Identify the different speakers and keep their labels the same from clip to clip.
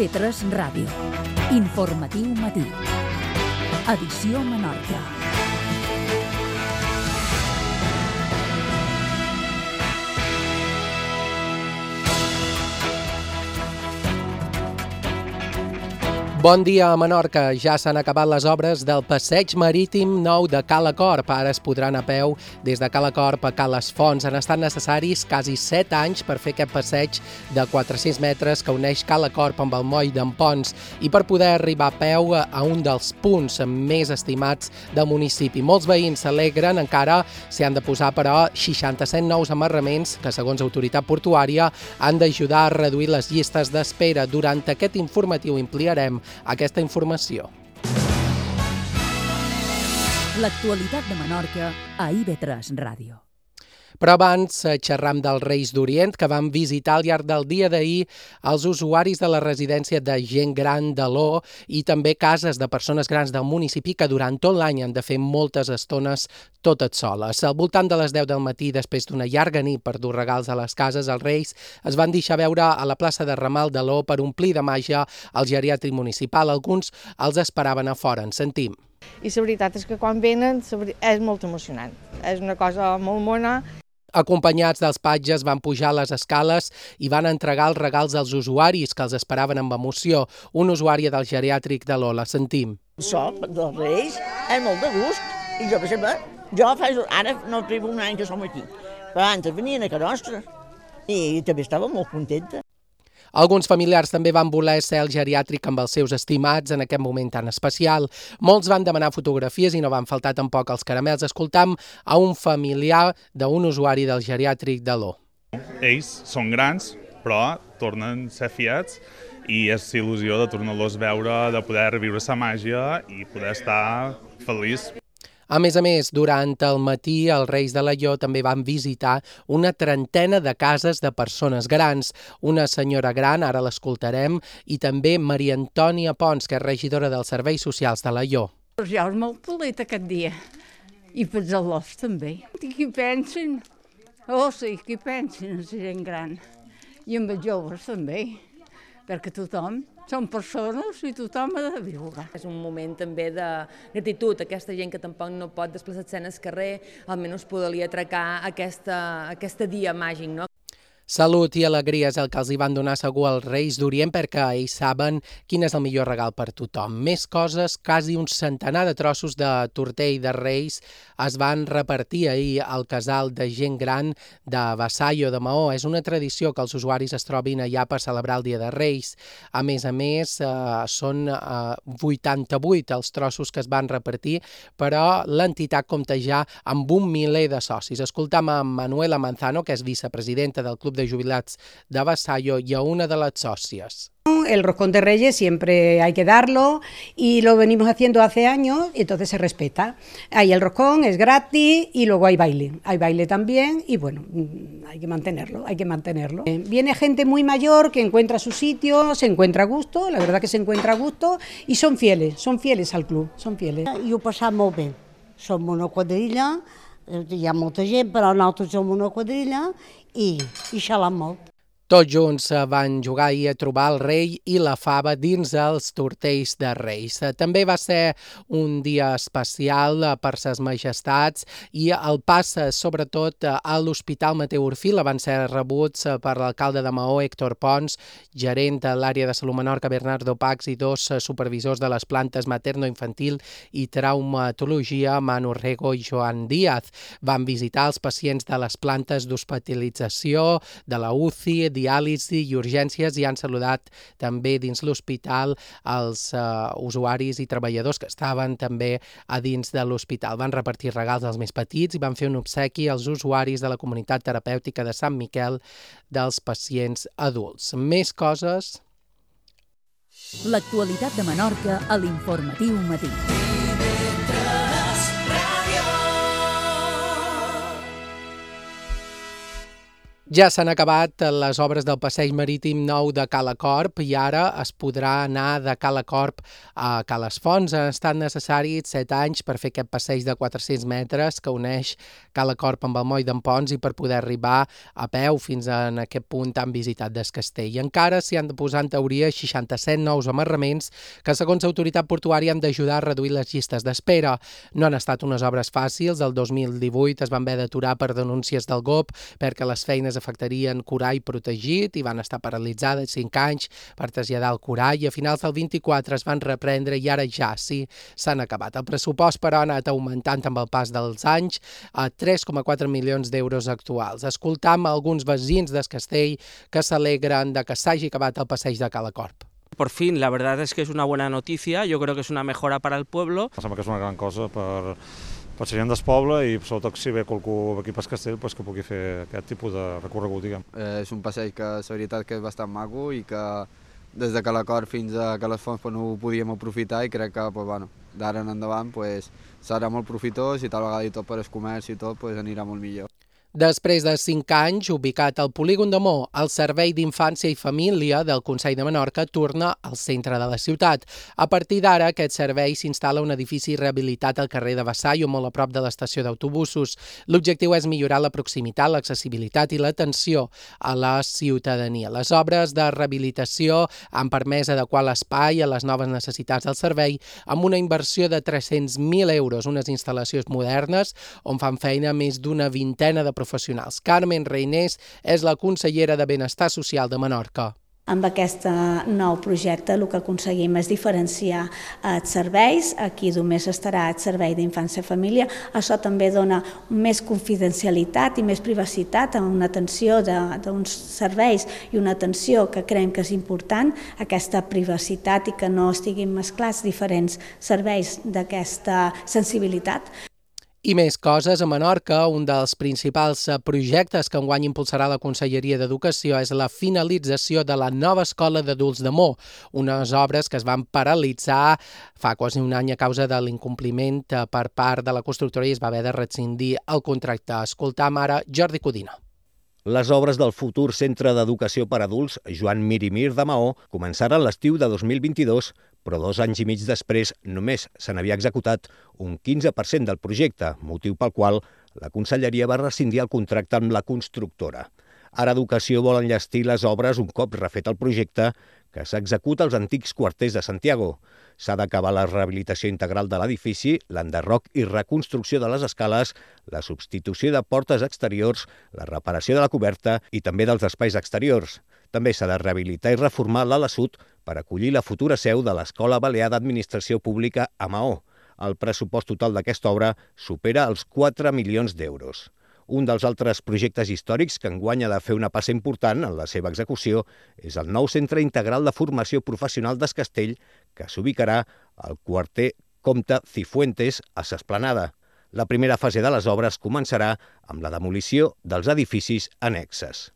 Speaker 1: IB3 Ràdio. Informatiu matí. Edició Menorca.
Speaker 2: Bon dia a Menorca. Ja s'han acabat les obres del passeig marítim nou de Cala Corp. Ara es podrà anar a peu des de Cala Corp a Cales Fonts. Han estat necessaris quasi 7 anys per fer aquest passeig de 400 metres que uneix Cala Corp amb el moll d'en Ponts i per poder arribar a peu a un dels punts més estimats del municipi. Molts veïns s'alegren, encara s'hi han de posar, però, 67 nous amarraments que, segons l'autoritat portuària, han d'ajudar a reduir les llistes d'espera. Durant aquest informatiu ampliarem aquesta informació.
Speaker 1: L'actualitat de Menorca a IB3 Ràdio.
Speaker 2: Però abans xerram dels Reis d'Orient, que van visitar al llarg del dia d'ahir els usuaris de la residència de gent gran de l'O i també cases de persones grans del municipi que durant tot l'any han de fer moltes estones totes soles. Al voltant de les 10 del matí, després d'una llarga nit per dur regals a les cases, els Reis es van deixar veure a la plaça de Ramal de l'O per omplir de màgia el geriàtric municipal. Alguns els esperaven a fora. En sentim.
Speaker 3: I la veritat és que quan venen és molt emocionant. És una cosa molt mona.
Speaker 2: Acompanyats dels patges van pujar les escales i van entregar els regals als usuaris que els esperaven amb emoció. Una usuària del geriàtric de l'O, la sentim.
Speaker 4: Això, dels Reis, és molt de gust. I jo, per exemple, ara no tribo un any que som aquí, però abans venien a casa nostra i també estava molt contenta.
Speaker 2: Alguns familiars també van voler ser al geriàtric amb els seus estimats en aquest moment tan especial. Molts van demanar fotografies i no van faltar tampoc els caramels. Escoltam a un familiar d'un usuari del geriàtric de l'O.
Speaker 5: Ells són grans, però tornen a ser fiats i és il·lusió de tornar-los a veure, de poder reviure la màgia i poder estar feliç.
Speaker 2: A més, durant el matí, els Reis de l'Aió també van visitar una trentena de cases de persones grans. Una senyora gran, ara l'escoltarem, i també Maria Antònia Pons, que és regidora dels Serveis Socials de l'Aió.
Speaker 6: Jo és molt polit aquest dia, i per els també. I qui pensen? Oh, sí, qui pensen en la gent gran. I amb els joves també, perquè tothom són persones i tothom ha de viure.
Speaker 7: És un moment també de gratitud. Aquesta gent que tampoc no pot desplaçar-se en el carrer, almenys podria atracar aquest dia màgic, no?
Speaker 2: Salut i alegria és el que els hi van donar segur als Reis d'Orient perquè ells saben quin és el millor regal per tothom. Més coses, quasi un centenar de trossos de tortell de Reis es van repartir ahir al casal de gent gran de Vassallo de Maó. És una tradició que els usuaris es trobin allà per celebrar el Dia de Reis. A més, són 88 els trossos que es van repartir, però l'entitat compta ja amb 1 miler de socis. Escoltam a Manuela Manzano, que és vicepresidenta del Club de Jubilats de Vassallo y a una de las socias.
Speaker 8: El roscón de Reyes siempre hay que darlo y lo venimos haciendo hace años y entonces se respeta. Ahí el roscón es gratis y luego hay baile también y bueno, hay que mantenerlo. Viene gente muy mayor que encuentra su sitio, se encuentra a gusto, la verdad que se encuentra a gusto y son fieles al club, són fieles.
Speaker 9: I ho passam molt bé, som una quadrilla, hi ha molta gent però nosaltres som una quadrilla i xalam molt.
Speaker 2: Tots junts van jugar ahir a trobar el rei i la fava dins els tortells de Reis. També va ser un dia especial per ses majestats i el pas, sobretot, a l'Hospital Mateu Orfila van ser rebuts per l'alcalde de Maó, Héctor Pons, gerent de l'àrea de Salut Menorca, Bernardo Pax, i 2 supervisors de les plantes materno-infantil i traumatologia, Manu Rego i Joan Díaz. Van visitar els pacients de les plantes d'hospitalització, de la UCI, diàlisi i urgències i han saludat també dins l'hospital els usuaris i treballadors que estaven també a dins de l'hospital. Van repartir regals als més petits i van fer un obsequi als usuaris de la comunitat terapèutica de Sant Miquel dels pacients adults. Més coses.
Speaker 1: L'actualitat de Menorca a l'Informatiu Matí.
Speaker 2: Ja s'han acabat les obres del passeig marítim nou de Cala Corp i ara es podrà anar de Cala Corp a Cales Fonts. Han estat necessaris 7 anys per fer aquest passeig de 400 metres que uneix Cala Corp amb el moll d'en Pons i per poder arribar a peu fins a aquest punt tan visitat del castell. I encara s'hi han de posar en teoria 67 nous amarraments que, segons l'autoritat portuària, han d'ajudar a reduir les llistes d'espera. No han estat unes obres fàcils. El 2018 es van haver d'aturar per denúncies del GOP perquè les feines afectarien corall protegit i van estar paralitzades 5 anys per traslladar el corall i a finals del 24 es van reprendre i ara ja sí s'han acabat. El pressupost, però, ha anat augmentant amb el pas dels anys a 3,4 milions d'euros actuals. Escoltam alguns veïns del castell que s'alegren de que s'hagi acabat el passeig de Cala Corp.
Speaker 10: Por fin, la verdad es que es una buena noticia, yo creo que es una mejora para el pueblo.
Speaker 11: Em sembla que és una gran cosa per la gent del poble i sobretot si ve qualcú aquí pel castell que pugui fer aquest tipus de recorregut, diguem.
Speaker 12: És un passeig que la veritat que és bastant maco i que des de Cala Corp fins a Cales Fonts no ho podíem aprofitar i crec que d'ara en endavant serà molt profitós i tal vegada i tot per el comerç i tot anirà molt millor.
Speaker 2: Després de 5 anys, ubicat al polígon de Mo, el Servei d'Infància i Família del Consell de Menorca torna al centre de la ciutat. A partir d'ara, aquest servei s'instal·la a un edifici rehabilitat al carrer de Vassallo, molt a prop de l'estació d'autobusos. L'objectiu és millorar la proximitat, l'accessibilitat i l'atenció a la ciutadania. Les obres de rehabilitació han permès adequar l'espai a les noves necessitats del servei amb una inversió de 300.000 euros, unes instal·lacions modernes on fan feina més d'una vintena de professionals. Carmen Reinés és la consellera de Benestar Social de Menorca.
Speaker 13: Amb aquest nou projecte el que aconseguim és diferenciar els serveis. Aquí només estarà el servei d'infància i família. Això també dona més confidencialitat i més privacitat a una atenció d'uns serveis i una atenció que creiem que és important, aquesta privacitat i que no estiguin mesclats diferents serveis d'aquesta sensibilitat.
Speaker 2: I més coses, a Menorca, un dels principals projectes que enguany impulsarà la Conselleria d'Educació és la finalització de la nova escola d'adults de Mo, unes obres que es van paralitzar fa quasi un any a causa de l'incompliment per part de la constructora i es va haver de rescindir el contracte. Escoltam ara Jordi Codina.
Speaker 14: Les obres del futur Centre d'Educació per Adults Joan Mir i Mir de Maó començaren l'estiu de 2022, però 2 anys i mig després només se n'havia executat un 15% del projecte, motiu pel qual la Conselleria va rescindir el contracte amb la constructora. Ara Educació vol enllestir les obres un cop refet el projecte que s'executa als antics quarters de Santiago. S'ha d'acabar la rehabilitació integral de l'edifici, l'enderroc i reconstrucció de les escales, la substitució de portes exteriors, la reparació de la coberta i també dels espais exteriors. També s'ha de rehabilitar i reformar l'ala sud per acollir la futura seu de l'Escola Balear d'Administració Pública a Maó. El pressupost total d'aquesta obra supera els 4 milions d'euros. Un dels altres projectes històrics que enguany ha de fer una passa important en la seva execució és el nou Centre Integral de Formació Professional d'Es Castell, que s'ubicarà al quarter Comte Cifuentes a s'Esplanada. La primera fase de les obres començarà amb la demolició dels edificis annexes.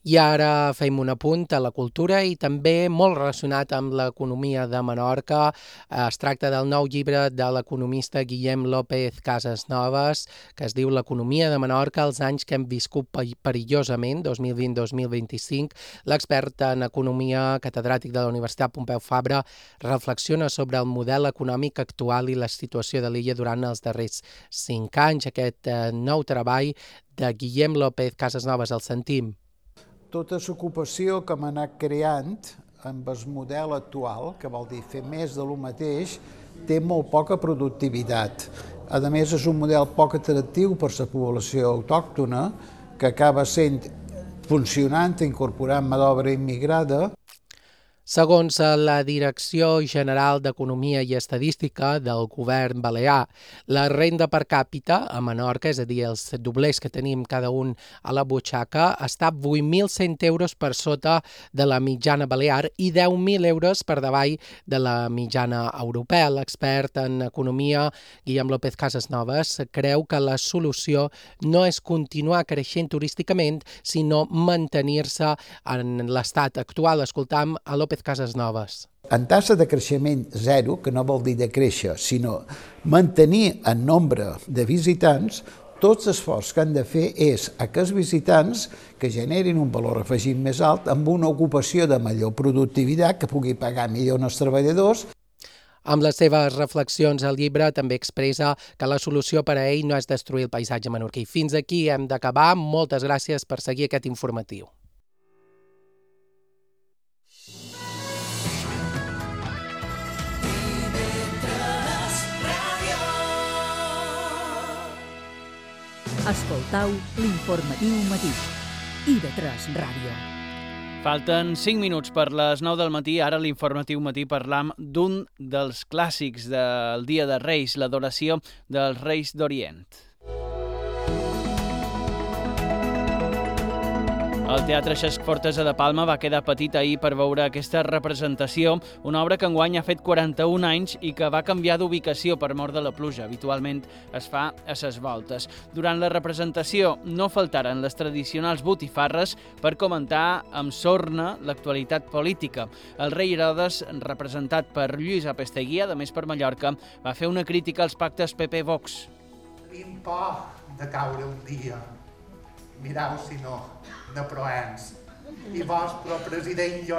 Speaker 2: I ara fem un apunt a la cultura i també molt relacionat amb l'economia de Menorca. Es tracta del nou llibre de l'economista Guillem López Casasnovas, que es diu L'economia de Menorca, els anys que hem viscut perillosament, 2020-2025. L'expert en economia catedràtic de la Universitat Pompeu Fabra reflexiona sobre el model econòmic actual i la situació de l'illa durant els darrers 5 anys. Aquest nou treball de Guillem López Casasnovas el sentim.
Speaker 15: Tota l'ocupació que hem anat creant amb el model actual, que vol dir fer més de lo mateix, té molt poca productivitat. A més, és un model poc atractiu per la població autòctona, que acaba sent funcionant, incorporant mà d'obra immigrada.
Speaker 2: Segons la Direcció General d'Economia i Estadística del Govern Balear, la renda per càpita a Menorca, és a dir, els doblers que tenim cada un a la butxaca, està 8.100 euros per sota de la mitjana balear i 10.000 euros per davall de la mitjana europea. L'expert en economia, Guillem López Casasnovas, creu que la solució no és continuar creixent turísticament, sinó mantenir-se en l'estat actual. Escoltam a López Casasnovas.
Speaker 15: En tassa de creixement zero, que no vol dir de créixer, sinó mantenir el nombre de visitants, tots els esforços que han de fer és a que els visitants que generin un valor afegit més alt amb una ocupació de major productivitat, que pugui pagar millor els treballadors.
Speaker 2: Amb les seves reflexions, el llibre també expressa que la solució per a ell no és destruir el paisatge menorquí. Fins aquí hem d'acabar. Moltes gràcies per seguir aquest informatiu.
Speaker 1: Escoltau l'informatiu matí. IB3 Ràdio.
Speaker 16: Falten 5 minuts per les 9 del matí. Ara a l'informatiu matí parlam d'un dels clàssics del Dia de Reis, l'adoració dels Reis d'Orient. El Teatre Cesc Fortesa de Palma va quedar petit ahir per veure aquesta representació, una obra que enguany ha fet 41 anys i que va canviar d'ubicació per mort de la pluja. Habitualment es fa a ses voltes. Durant la representació no faltaren les tradicionals botifarres per comentar amb sorna l'actualitat política. El rei Herodes, representat per Lluís Apesteguía, de Més per Mallorca, va fer una crítica als pactes PP-Vox.
Speaker 17: Tenim por de caure un dia. Mireu si no, de proens. I vos, però president, jo